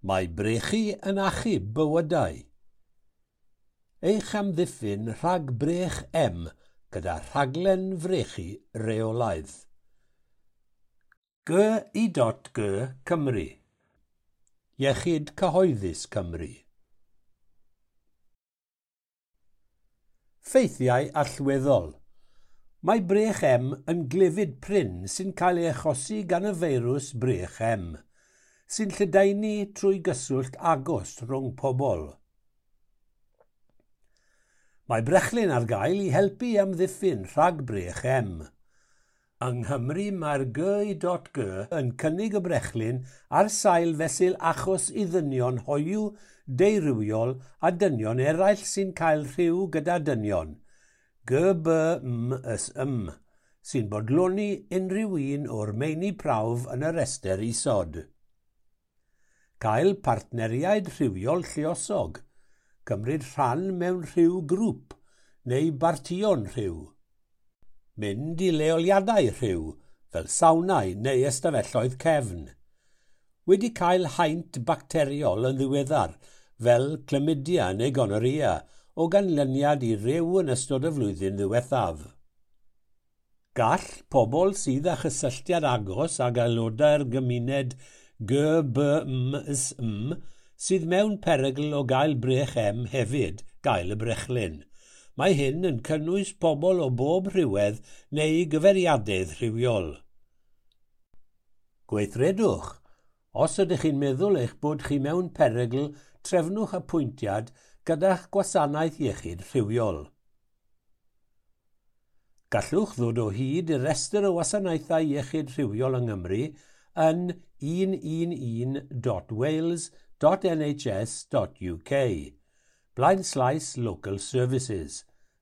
Mae brechu yn achub bywydau. Eich amddiffyn rhag brech M gyda rhaglen frechu reolaidd. G.I.G Cymru. Iechyd Cyhoeddus Cymru. Ffeithiau allweddol. Mae brech M yn glefyd prin sy'n cael ei achosi gan y feirws brech M, sy'n lledaenu trwy gyswllt agos rhwng pobl. Mae brechlyn ar gael i helpu amddiffyn rhag brech M. Yng Nghymru mae'r G.I.G yn cynnig y brechlyn ar sail fesul achos i ddynion hoyw, deurywiol a dynion eraill sy'n cael rhyw gyda dynion, GBMSM, sy'n bodloni unrhyw un o'r meini prawf yn y rhestr isod. Cael partneriaid rhywiol lluosog, cymryd rhan mewn rhyw grŵp neu bartïon rhyw. Mynd i leoliadau rhyw, fel sawnau neu ystafelloedd cefn. Wedi cael haint bacteriol yn ddiweddar, fel chlamydia neu gonorrhea, o ganlyniad i ryw yn ystod y flwyddyn ddiwethaf. Gall pobl sydd â chysylltiad agos ag aelodau'r gymuned GBMSM sydd mewn perygl o gael brech M hefyd gael y brechlyn. Mae hyn yn cynnwys pobl o bob rhywedd neu gyfeiriadedd rhywiol. Gweithredwch. Os ydych chi'n meddwl eich bod chi mewn perygl, trefnwch apwyntiad gyda'ch gwasanaeth iechyd rhywiol. Gallwch ddod o hyd i restr o wasanaethau iechyd rhywiol yng Nghymru yn 111.wales.nhs.uk, blaenslaes Local Services,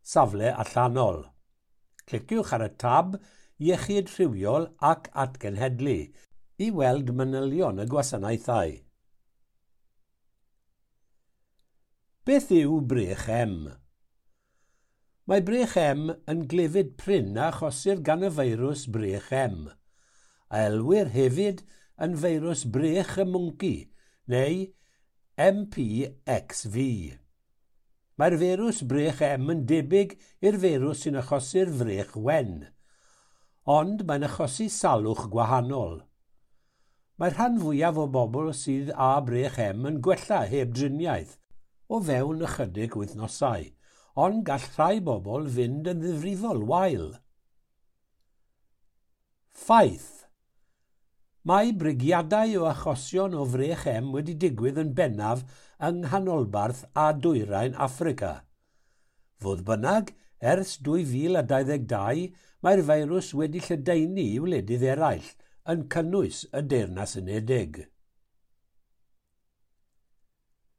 safle allanol. Cliciwch ar y tab Iechyd Rhywiol ac Atgenhedlu i weld manylion y gwasanaethau. Beth yw brech M? Mae brech M yn glefyd prin a achosir gan y feirws brech M, a elwir hefyd yn feirws brech y mwnci, neu MPXV. Mae'r feirws brech M yn debyg i'r feirws sy'n achosi'r frech wen, ond mae'n achosi salwch gwahanol. Mae'r rhan fwyaf o bobl sydd â brech M yn gwella heb driniaeth o fewn ychydig wythnosau, ond gall rhai bobl fynd yn ddifrifol wael. Ffaith. Mae brigiadau o achosion o frech M wedi digwydd yn bennaf yng Nghanolbarth a Dwyrain Affrica. Fodd bynnag, ers 2022, mae'r feirws wedi lledaenu i wledydd eraill, yn cynnwys y Deyrnas Unedig.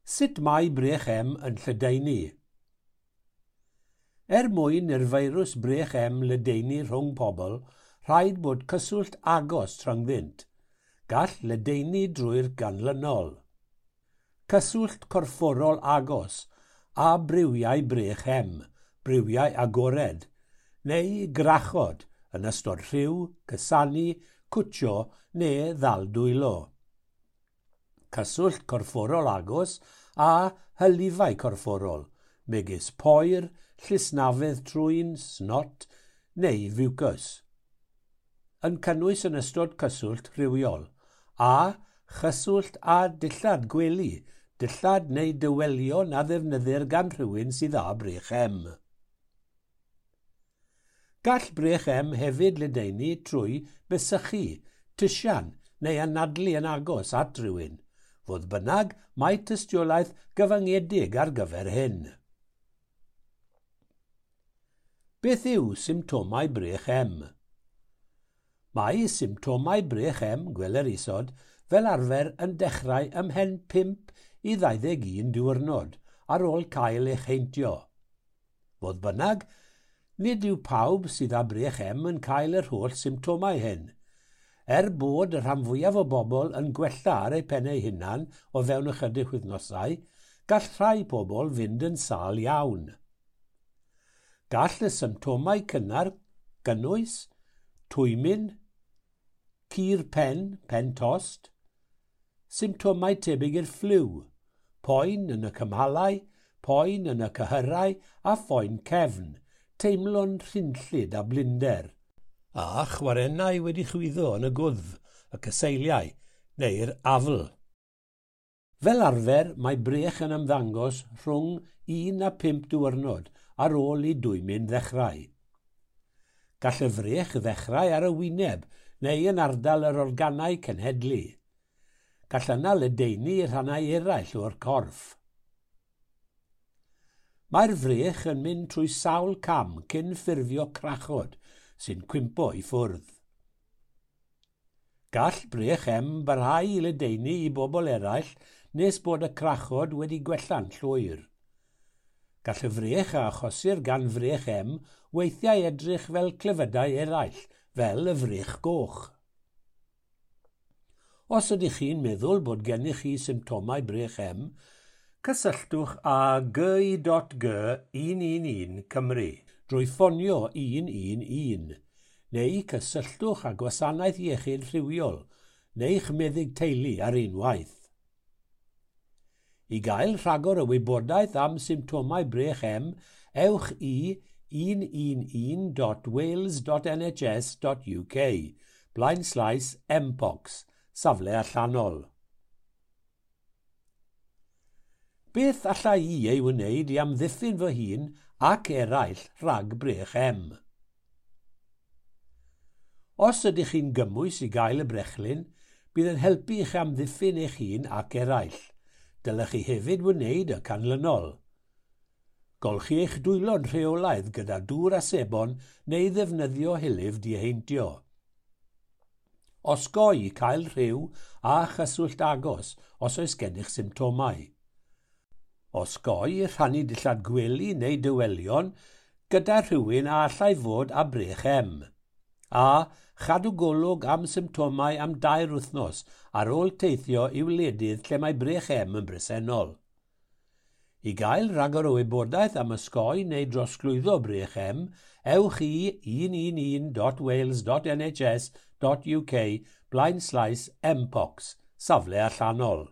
Sut mae brech M yn lledaenu? Er mwyn i'r feirws brech M ledaenu rhwng pobl, rhaid bod cyswllt agos rhyngddynt. Gall ledaenu drwy'r ganlynol. Cyswllt corfforol agos a briwiau brech M, briwiau agored, neu grachod yn ystod rhyw, cysanu, cwtsio neu ddal dwylo. Cyswllt corfforol agos a hylifau corfforol, megis poer, llysnafedd trwyn, snot neu fiwcus. Yn cynnwys yn ystod cyswllt rhywiol, a chyswllt a dillad gwely, dillad neu dywelion a ddefnyddir gan rhywun sydd â brech M. Gall brech M hefyd ledaenu trwy besychu, tisian neu anadlu yn agos at rhywun. Fodd bynnag, mae tystiolaeth gyfyngedig ar gyfer hyn. Beth yw symptomau brech M? Mae symptomau brech M, gweler isod, fel arfer yn dechrau ymhen 5 i 21 diwrnod ar ôl cael eich heintio. Fodd bynnag, nid yw pawb sydd â brech M yn cael yr holl symptomau hyn. Er bod y rhan fwyaf o bobl yn gwella ar eu pen eu hunan o fewn ychydig wythnosau, gall rhai pobl fynd yn sâl iawn. Gall y symptomau cynnar gynnwys twymyn, cur pen, pen tost, Symptomau tebyg i'r ffliw, poen yn y cymalau, poen yn y cyhyrau a phoen cefn, teimlo'n rhynllyd a blinder, a chwarennau wedi chwyddo yn y gwddf, y cyseiliau neu'r afl. Fel arfer, mae brech yn ymddangos rhwng 1 a 5 diwrnod ar ôl i dwymyn ddechrau. Gall y frech ddechrau ar y wyneb neu yn ardal yr organau cenhedlu. Gall yna ledaenu i rhannau eraill o'r corff. Mae'r frech yn mynd trwy sawl cam cyn ffurfio crachod sy'n cwympo i ffwrdd. Gall brech M barhau i ledaenu i bobl eraill nes bod y crachod wedi gwella'n llwyr. Gall y frech a achosir gan frech M weithiau edrych fel clefydau eraill, fel y frech goch. Os ydych chi'n meddwl bod gennych chi symptomau brech M, cysylltwch â gy.g 111 Cymru drwy ffonio 111, neu cysylltwch â gwasanaeth iechyd rhywiol neu'ch meddyg teulu ar unwaith. I gael rhagor o wybodaeth am symptomau brech M, ewch i 111.wales.nhs.uk blaenslaes mpox, safle allanol. Beth alla i ei wneud i amddiffyn fy hun ac eraill rhag brech M? Os ydych chi'n gymwys i gael y brechlyn, bydd yn helpu i'ch amddiffyn eich hun ac eraill. Dylech chi hefyd wneud y canlynol. Golchi eich dwylo'n rheolaidd gyda dŵr a sebon neu ddefnyddio hylif diheintio. Osgoi cael rhyw a chyswllt agos os oes gennych symptomau. Osgoi rhannu dillad gwely neu dywelion gyda rhywun a allai fod â brech M. A chadw golwg am symptomau am 2 wythnos ar ôl teithio i wledydd lle mae brech M yn bresennol. I gael rhagor o wybodaeth am osgoi neu drosglwyddo brech M, ewch i 111.wales.nhs.uk blaenslaes mpox, safle allanol.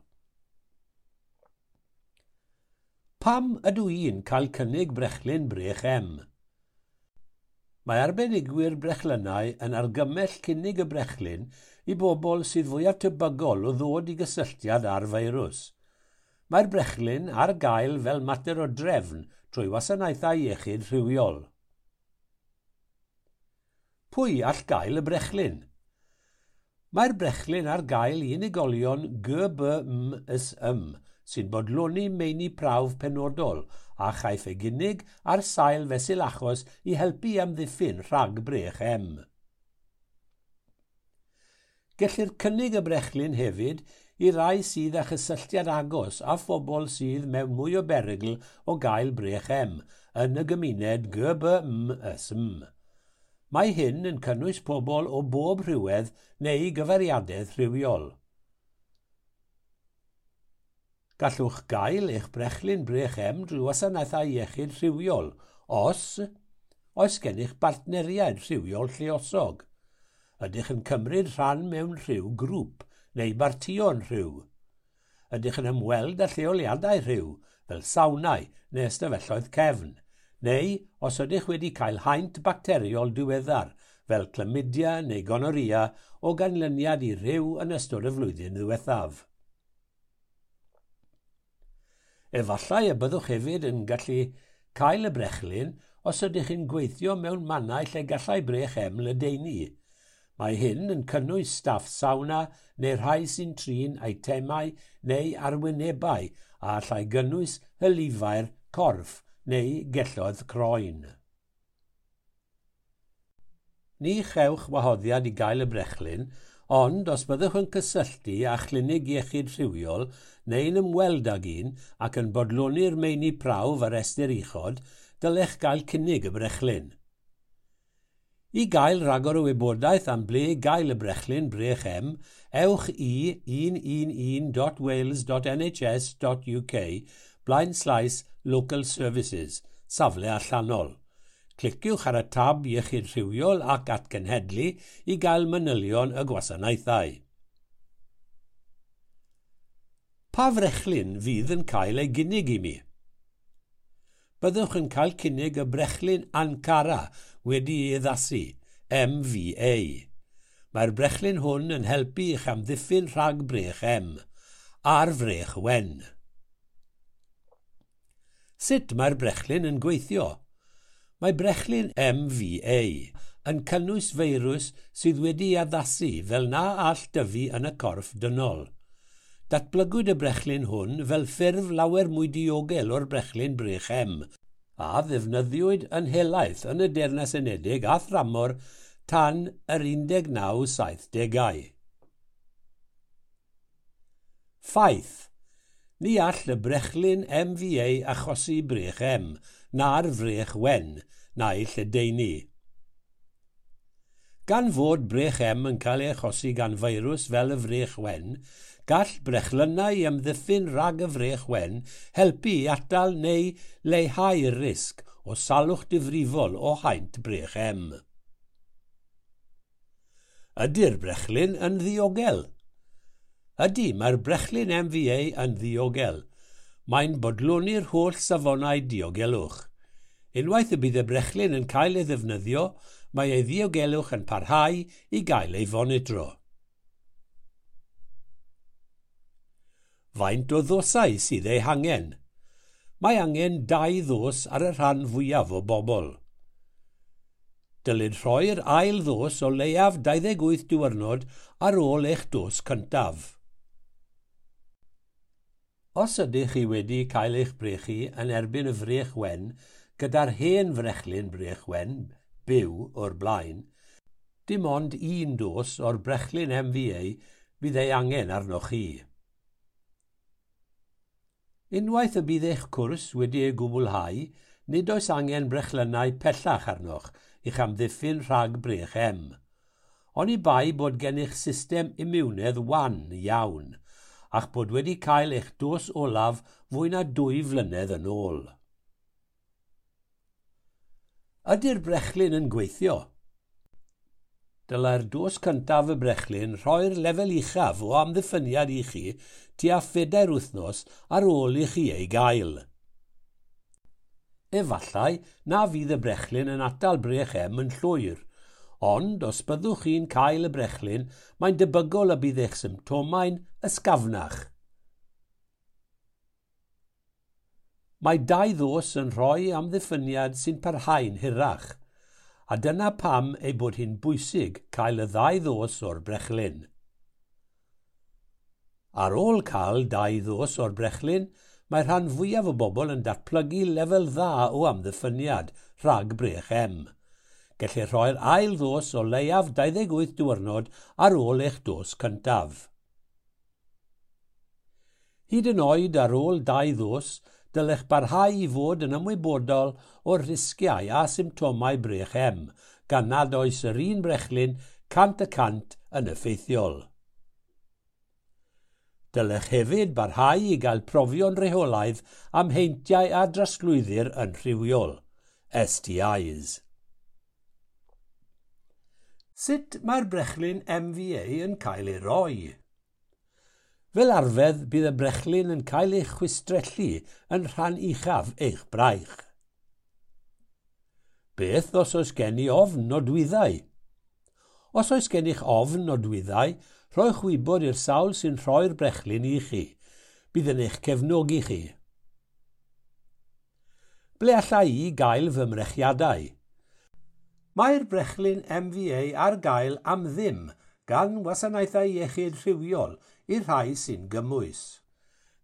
Pam ydw i'n cael cynnig brechlyn brech M? Mae arbenigwyr brechlynnau yn argymell cynnig y brechlyn i bobl sydd fwyaf tebygol o ddod i gysylltiad â'r feirws. Mae'r brechlyn ar gael fel mater o drefn trwy wasanaethau iechyd rhywiol. Pwy all gael y brechlyn? Mae'r brechlyn ar gael i unigolion GBMSM sy'n bodloni meini prawf penodol a chaiff ei gynnig ar sail fesul achos i helpu i amddiffyn rhag brech M. Gellir cynnig y brechlyn hefyd i rai sydd â chysylltiad agos a phobl sydd mewn mwy o berygl o gael brech M yn y gymuned GBMSM. Mae hyn yn cynnwys pobl o bob rhywedd neu gyfeiriadedd rhywiol. Gallwch gael eich brechlyn brech M drwy wasanaethau iechyd rhywiol os oes gennych bartneriaid rhywiol lluosog. Ydych yn cymryd rhan mewn rhyw grŵp neu bartïon rhyw. Ydych yn ymweld â lleoliadau rhyw, fel sawnau neu ystafelloedd cefn, neu os ydych wedi cael haint bacteriol diweddar, fel chlamydia neu gonorrhea o ganlyniad i rhyw yn ystod y flwyddyn ddiwethaf. Efallai y byddwch hefyd yn gallu cael y brechlyn os ydych chi'n gweithio mewn mannau lle gallai brech M ledaenu. Mae hyn yn cynnwys staff sawna neu rhai sy'n trin eitemau neu arwynebau a allai gynnwys hylifau'r corff neu gelloedd croen. Ni chewch wahoddiad i gael y brechlyn, ond os byddwch yn cysylltu â chlinig iechyd rhywiol neu'n ymweld ag un ac yn bodloni'r meini prawf ar restr uchod, dylech gael cynnig y brechlyn. I gael rhagor o wybodaeth am ble gael y brechlyn brech M, ewch i 111.wales.nhs.uk blaenslaes Local Services, safle allanol. Cliciwch ar y tab Iechyd Rhywiol ac Atgenhedlu i gael manylion y gwasanaethau. Pa frechlyn fydd yn cael ei gynnig i mi? Byddwch yn cael cynnig y brechlyn Ankara wedi ei addasu, MVA. Mae'r brechlyn hwn yn helpu i'ch amddiffyn rhag brech M a'r frech wen. Sut mae'r brechlyn yn gweithio? Mae brechlyn MVA yn cynnwys feirws sydd wedi ei addasu fel na all dyfu yn y corff dynol. Datblygwyd y brechlyn hwn fel ffurf lawer mwy diogel o'r brechlyn brech M, a ddefnyddiwyd yn helaeth yn y Deyrnas Unedig a thramor tan yr 1970au. Ffaith. Ni all y brechlyn MVA achosi brech M, na'r frech wen, na'i lledaenu. Gan fod brech M yn cael ei achosi gan feirws fel y frech wen, gall brechlynnau amddiffyn rhag y frech wen helpu i atal neu leihau'r risg o salwch difrifol o haint brech M. Ydy'r brechlyn yn ddiogel? Ydy, mae'r brechlyn MVA yn ddiogel. Mae'n bodloni'r holl safonau diogelwch. Unwaith y bydd y brechlyn yn cael ei ddefnyddio, mae ei ddiogelwch yn parhau i gael ei fonitro. Faint o ddosau sydd eu hangen? Mae angen 2 ddos ar y rhan fwyaf o bobl. Dylid rhoi'r ail ddos o leiaf 28 diwrnod ar ôl eich dos cyntaf. Os ydych chi wedi cael eich brechu yn erbyn y frech wen gyda'r hen frechlyn brech wen, byw, o'r blaen, dim ond 1 dos o'r brechlyn MVA fydd ei angen arnoch chi. Unwaith y bydd eich cwrs wedi ei gwblhau, nid oes angen brechlynnau pellach arnoch i'ch amddiffyn rhag brech M. Oni bai bod gennych system imiwnedd wan iawn, a'ch bod wedi cael eich dos olaf fwy na 2 flynedd yn ôl. Ydy'r brechlyn yn gweithio? Dylai'r dos cyntaf y brechlyn rhoi'r lefel uchaf o amddiffyniad i chi tua 4 wythnos ar ôl i chi ei gael. Efallai na fydd y brechlyn yn atal brech M yn llwyr, ond os byddwch chi'n cael y brechlyn, mae'n debygol y bydd eich symptomau'n ysgafnach. Mae 2 ddos yn rhoi amddiffyniad sy'n parhau'n hirach, a dyna pam ei bod hi'n bwysig cael y 2 ddos o'r brechlyn. Ar ôl cael 2 ddos o'r brechlyn, mae rhan fwyaf o bobl yn datblygu lefel dda o amddiffyniad rhag brech M. Gellir rhoi'r ail ddos o leiaf 28 diwrnod ar ôl eich dos cyntaf. Hyd yn oed ar ôl 2 ddos, dylech barhau i fod yn ymwybodol o'r risgiau a symptomau brech M, gan nad oes yr un brechlyn 100% yn effeithiol. Dylech hefyd barhau i gael profion rheolaidd am heintiau a drosglwyddir yn rhywiol, STIs. Sut mae'r brechlyn MVA yn cael ei roi? Fel arfer, bydd y brechlyn yn cael ei chwistrellu yn rhan uchaf eich braich. Beth os oes gen i ofn nodwyddau? Os oes gennych ofn nodwyddau, rhowch wybod i'r sawl sy'n rhoi'r brechlyn i chi. Bydd yn eich cefnogi chi. Ble alla i gael fy mrechiadau? Mae'r brechlyn MVA ar gael am ddim gan wasanaethau iechyd rhywiol i'r rhai sy'n gymwys.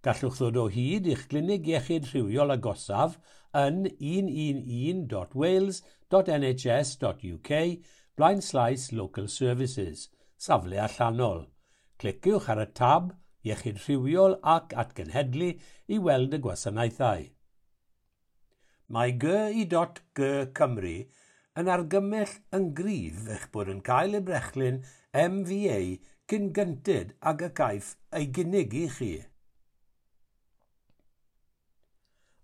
Gallwch ddod o hyd i'ch glinig iechyd rhywiol agosaf yn 111.wales.nhs.uk/local services, safle allanol. Cliciwch ar y tab Iechyd Rhywiol ac Atgenhedlu i weld y gwasanaethau. Mae GI.G Cymru yn argymell yn gryf eich bod yn cael y brechlyn MVA cyn gynted ag y caiff ei gynnig i chi.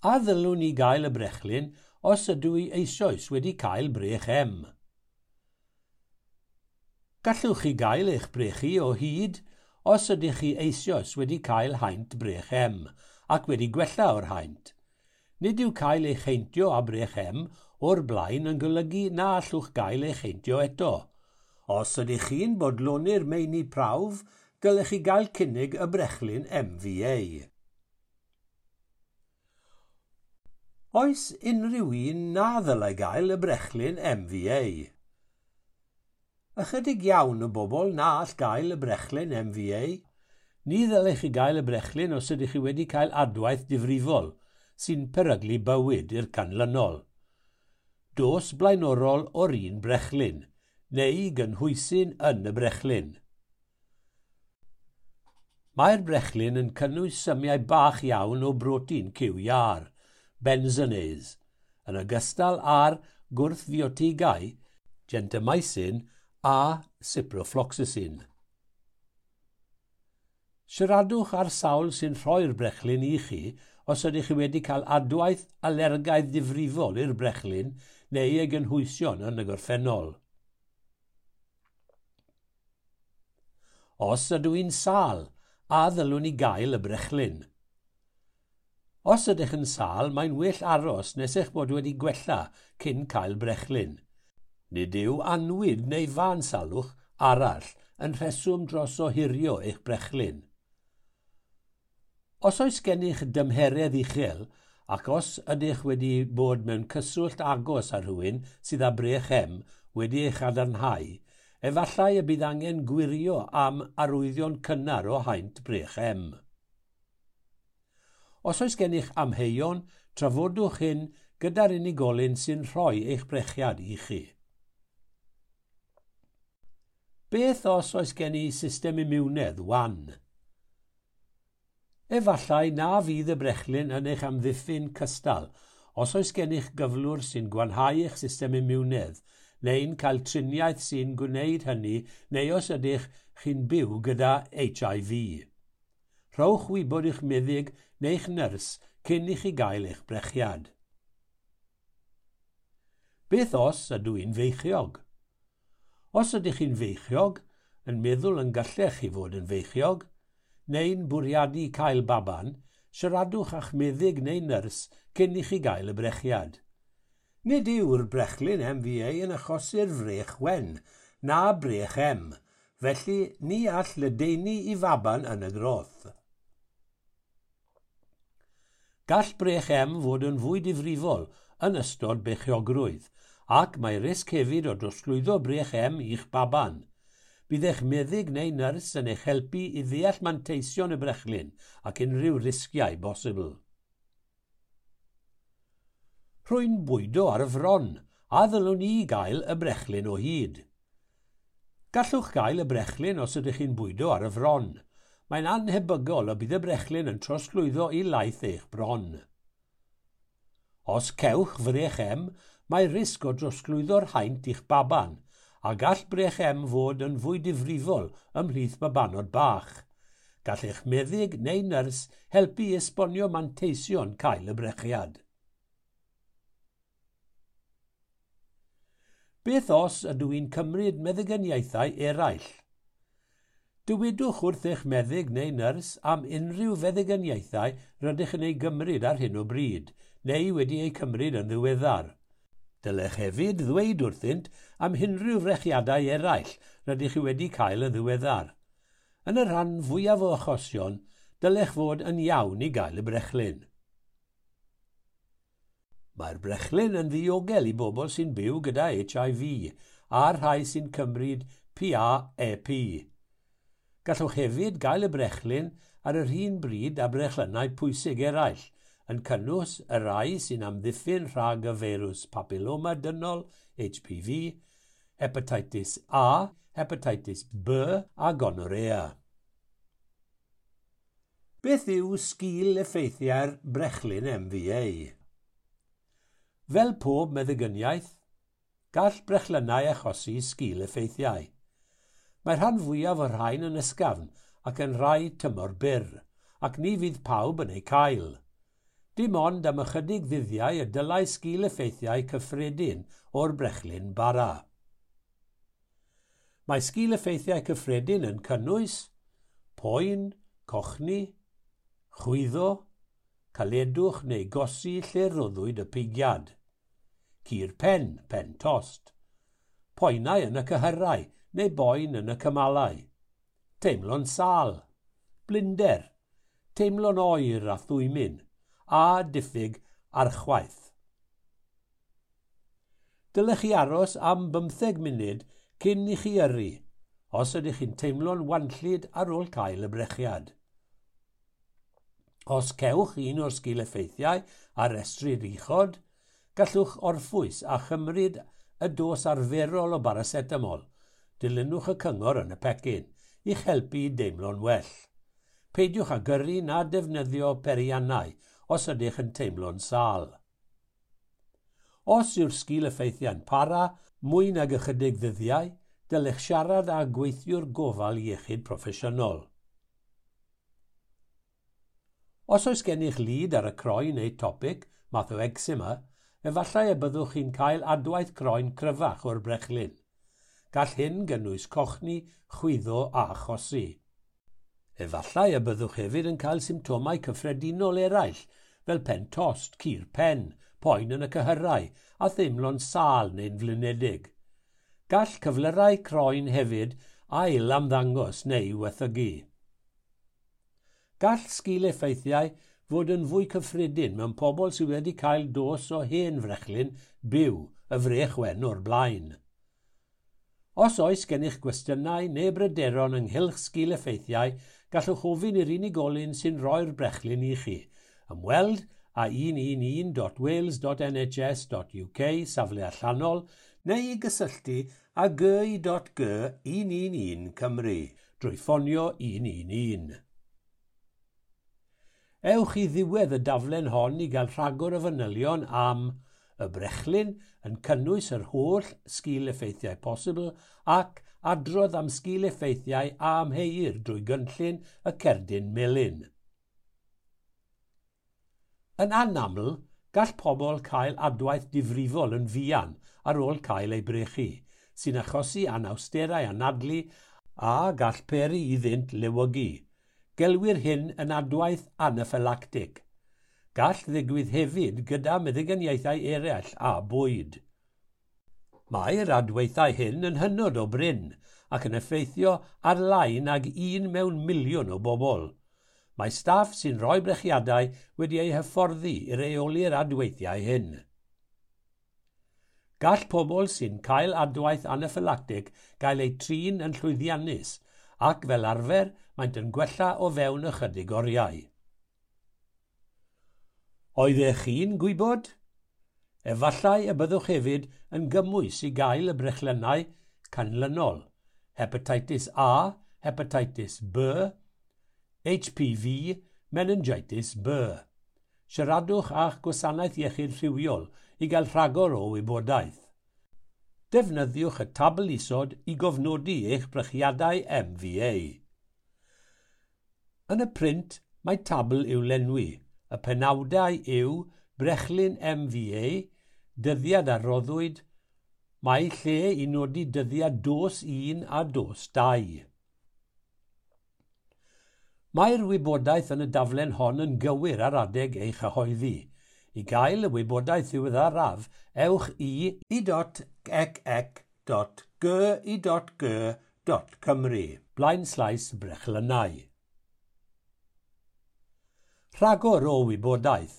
A ddylwn i gael y brechlyn os ydw i eisoes wedi cael brech M? Gallwch chi gael eich brechu o hyd Os ydych chi eisoes wedi cael haint brech M ac wedi gwella o'r haint, nid yw cael eich heintio â brech M o'r blaen yn golygu na allwch gael eich heintio eto. Os ydych chi'n bodloni'r meini prawf, dylech chi gael cynnig y brechlyn MVA. Oes unrhyw un na ddylai gael y brechlyn MVA? Ychydig iawn o bobl na all gael y brechlyn MVA. Ni ddylech chi gael y brechlyn os ydych chi wedi cael adwaith difrifol sy'n peryglu bywyd i'r canlynol. Dos blaenorol o'r un brechlyn, neu gynhwysyn yn y brechlyn. Mae'r brechlyn yn cynnwys symiau bach iawn o brotein cyw iâr, benzonase, yn ogystal â'r gwrthfiotigau gentamicin a ciprofloxacin. Siaradwch â'r sawl sy'n rhoi'r brechlyn i chi os ydych chi wedi cael adwaith alergaidd difrifol i'r brechlyn neu ei gynhwysion yn y gorffennol. Os ydw i'n sâl, a ddylwn i gael y brechlyn? Os ydych yn sâl, mae'n well aros nes eich bod wedi gwella cyn cael brechlyn. Nid yw annwyd neu fân salwch arall yn rheswm dros ohirio eich brechlyn. Os oes gennych dymheredd uchel ac os ydych wedi bod mewn cyswllt agos â rhywun sydd â brech M wedi ei chadarnhau, efallai y bydd angen gwirio am arwyddion cynnar o haint brech M. Os oes gennych amheuon, trafodwch hyn gyda'r unigolyn sy'n rhoi eich brechiad i chi. Beth os oes gen i system imiwnedd wan? Efallai na fydd y brechlyn yn eich amddiffyn cystal os oes gennych gyflwr sy'n gwanhau eich system imiwnedd neu'n cael triniaeth sy'n gwneud hynny neu os ydych chi'n byw gyda HIV. Rhowch wybod i'ch meddyg neu'ch nyrs cyn i chi gael eich brechiad. Beth os ydw i'n feichiog? Os ydych chi'n feichiog, yn meddwl yn gallech chi fod yn feichiog, neu'n bwriadu cael baban, siaradwch â'ch meddyg neu nyrs cyn i chi gael y brechiad. Nid yw'r brechlyn MVA yn achosi'r frech wen, na brech M, felly ni all ledaenu i faban yn y groth. Gall brech M fod yn fwy difrifol yn ystod beichiogrwydd, ac mae risg hefyd o drosglwyddo brech M i'ch baban. Bydd eich meddyg neu nyrs yn eich helpu i ddeall manteision y brechlyn ac unrhyw risgiau bosibl. Rwy'n bwydo ar y fron, a ddylwn i gael y brechlyn o hyd. Gallwch gael y brechlyn os ydych chi'n bwydo ar y fron. Mae'n annhebygol y bydd y brechlyn yn trosglwyddo i laeth eich bron. Os cewch frech M, mae risg o drosglwyddo'r haint i'ch baban, a gall brech M fod yn fwy difrifol ymhlith babanod bach. Gall eich meddyg neu nyrs helpu i esbonio manteision cael y brechiad. Beth os ydw i'n cymryd meddyginiaethau eraill? Dywedwch wrth eich meddyg neu nyrs am unrhyw feddyginiaethau rydych yn ei gymryd ar hyn o bryd, neu wedi eu cymryd yn ddiweddar. Dylech hefyd ddweud wrthynt am unrhyw frechiadau eraill rydych chi wedi cael yn ddiweddar. Yn y rhan fwyaf o achosion, dylech fod yn iawn i gael y brechlyn. Mae'r brechlyn yn ddiogel i bobl sy'n byw gyda HIV a'r rhai sy'n cymryd PrEP. Gallwch hefyd gael y brechlyn ar yr un bryd â brechlynnau pwysig eraill, yn cynnwys y rhai sy'n amddiffyn rhag y feirws papiloma dynol, HPV, hepatitis A, hepatitis B a gonorrhea. Beth yw sgil effeithiau'r brechlyn MVA? Fel pob meddygyniaeth, gall brechlynnau achosi sgil effeithiau. Mae rhan fwyaf o'r rhain yn ysgafn ac yn rhai tymor byr, ac ni fydd pawb yn eu cael. Dim ond am ychydig ddyddiau y dylai sgil effeithiau cyffredin o'r brechlyn bara. Mae sgil effeithiau cyffredin yn cynnwys Poen, cochni, chwyddo, caledwch neu gosi lle roddwyd y pigiad. Cur pen, pen tost. Poenau yn y cyhyrau neu boen yn y cymalau. Teimlo'n sâl, blinder, teimlo'n oer a thwymyn, a diffyg archwaeth. Dylech chi aros am 15 munud cyn i chi yrru, os ydych chi'n teimlo'n wanllyd ar ôl cael y brechiad. Os cewch un o'r sgil-effeithiau a restrir uchod, gallwch orffwys a chymryd y dos arferol o baracetamol. Dilynwch y cyngor yn y pecyn i'ch helpu i deimlo'n well. Peidiwch â gyrru na defnyddio peiriannau os ydych yn teimlo'n sâl. Os yw'r sgil-effeithiau'n para mwy nag ychydig ddyddiau, dylech siarad â gweithiwr gofal iechyd proffesiynol. Os oes gennych lid ar y croen neu topic, math o eczema, efallai y byddwch chi'n cael adwaith croen cryfach o'r brechlyn. Gall hyn gynnwys cochni, chwyddo a chosi. Efallai y byddwch hefyd yn cael symptomau cyffredinol eraill, fel pen tost, cur pen, poen yn y cyhyrau a theimlo'n sâl neu'n flinedig. Gall cyflyrau croen hefyd ail ymddangos neu waethygu. Gall sgil-effeithiau fod yn fwy cyffredin mewn pobl sydd wedi cael dos o hen frechlyn byw y frech wen o'r blaen. Os oes gennych gwestiynau neu bryderon ynghylch sgil-effeithiau, gallwch ofyn i'r unigolyn sy'n rhoi'r brechlyn i chi. Ymweld â 111.wales.nhs.uk safle allanol neu i gysylltu â gy.g 111 Cymru drwy ffonio 111. Ewch i ddiwedd y daflen hon i gael rhagor o fanylion am y brechlyn yn cynnwys yr holl sgil-effeithiau posibl ac adrodd am sgil-effeithiau a amheuir drwy gynllun y cerdyn melyn. Yn anaml, gall pobl cael adwaith difrifol yn fuan ar ôl cael eu brechu, sy'n achosi anawsterau anadlu a gall peri iddynt lewygu. Gelwir hyn yn adwaith anaffylactig. Gall ddigwydd hefyd gyda meddyginiaethau eraill a bwyd. Mae'r adweithiau hyn yn hynod o brin ac yn effeithio ar lai nag 1 mewn miliwn o bobl. Mae staff sy'n rhoi brechiadau wedi eu hyfforddi i reoli'r adweithiau hyn. Gall pobl sy'n cael adwaith anaffylactig gael eu trin yn llwyddiannus ac fel arfer maent yn gwella o fewn ychydig oriau. Oeddech chi'n gwybod? Efallai y byddwch hefyd yn gymwys i gael y brechlynnau canlynol: hepatitis A, hepatitis B, HPV, meningitis B. Siaradwch â'ch gwasanaeth iechyd rhywiol i gael rhagor o wybodaeth. Defnyddiwch y tabl isod i gofnodi eich brechiadau MVA. Yn y print, mae tabl i'w lenwi. Y penawdau yw brechlyn MVA, dyddiad a roddwyd, mae lle i nodi dyddiad dos 1 a dos 2. Mae'r wybodaeth yn y daflen hon yn gywir ar adeg ei chyhoeddi. I gael y wybodaeth ddiweddaraf, ewch i i.ec.gy.g.cymru blaenslaes brechlynnau. Rhagor o wybodaeth.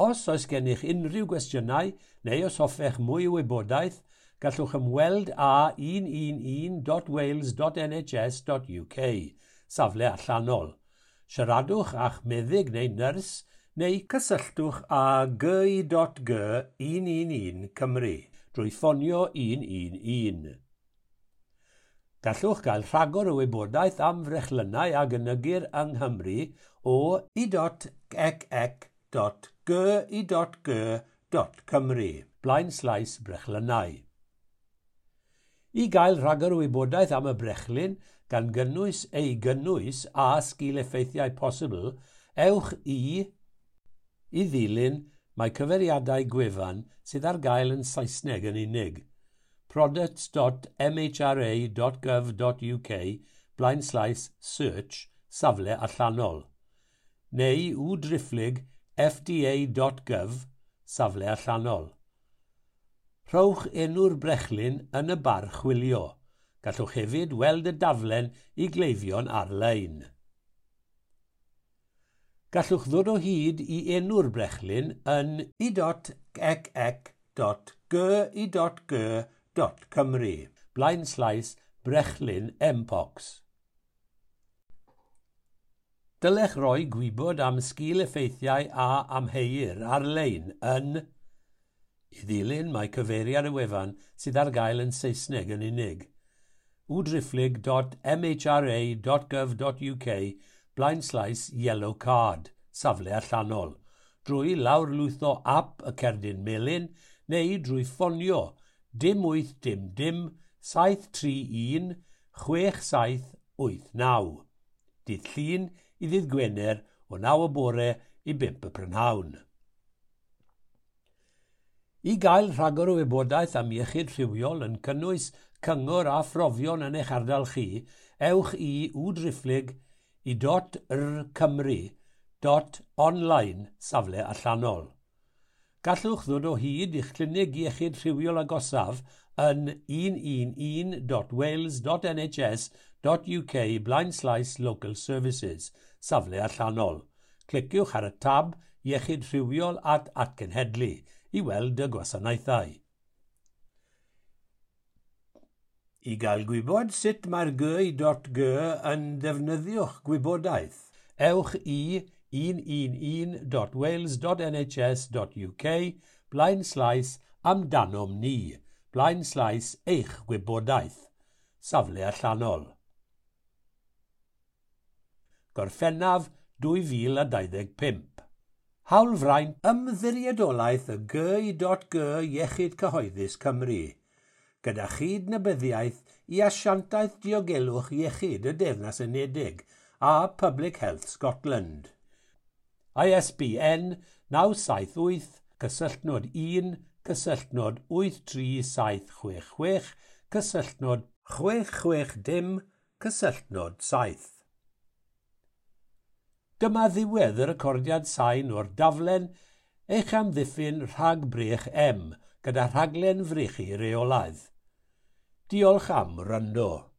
Os oes gennych unrhyw gwestiynau neu os hoffech mwy o wybodaeth, gallwch ymweld â 111.wales.nhs.uk, safle allanol. Siaradwch â'ch meddyg neu nyrs neu cysylltwch â gy.g 111 Cymru drwy ffonio 111. Gallwch gael rhagor o wybodaeth am frechlynnau a gynigir yng Nghymru o i.ec.gy.g.cymru blaenslaes brechlynnau. I gael rhagor o wybodaeth am y brechlyn, gan gynnwys ei gynnwys a sgil-effeithiau posibl, ewch i ddilyn mae cyfeiriadau gwefan sydd ar gael yn Saesneg yn unig. products.mhra.gov.uk / search safle allanol, neu w fda.gov safle allanol. Rhowch enw'r brechlyn yn y bar chwilio. Gallwch hefyd weld y daflen i gleifion ar-lein. Gallwch ddod o hyd i enw'r brechlyn yn i.ec.g.i.g.cymru / brechlyn Mpox. Dylech roi gwybod am sgil-effeithiau a amheuir ar-lein yn. I ddilyn mae cyfeiriad y wefan sydd ar gael yn Saesneg yn unig: w.mhra.gov.uk / yellow card, safle allanol, drwy lawrlwytho ap y cerdyn melyn neu drwy ffonio 0800 731 6789, dydd Llun i ddydd Gwener o 9 y bore i 5 y prynhawn. I gael rhagor o wybodaeth am iechyd rhywiol yn cynnwys cyngor a phrofion yn eich ardal chi, ewch i w.i.rcymru.online safle allanol. Gallwch ddod o hyd i'ch clinig iechyd rhywiol agosaf yn 111.wales.nhs.uk / local services, safle allanol. Cliciwch ar y tab Iechyd Rhywiol at Atgenhedlu i weld y gwasanaethau. I gael gwybod sut mae'r GI.G yn defnyddio'ch gwybodaeth, ewch i 111.wales.nhs.uk / amdanom ni / eich gwybodaeth, safle allanol. Gorffennaf 2025. Hawlfraint Ymddiriedolaeth y GI.G Iechyd Cyhoeddus Cymru, gyda chydnabyddiaeth i Asiantaeth Diogelwch Iechyd y Deyrnas Unedig a Public Health Scotland. ISBN 978 cysylltnod 1 cysylltnod 83766 cysylltnod 660 cysylltnod 7. Dyma ddiwedd y recordiad sain o'r daflen Eich amddiffyn rhag brech M gyda rhaglen frechu reolaidd. Diolch am wrando.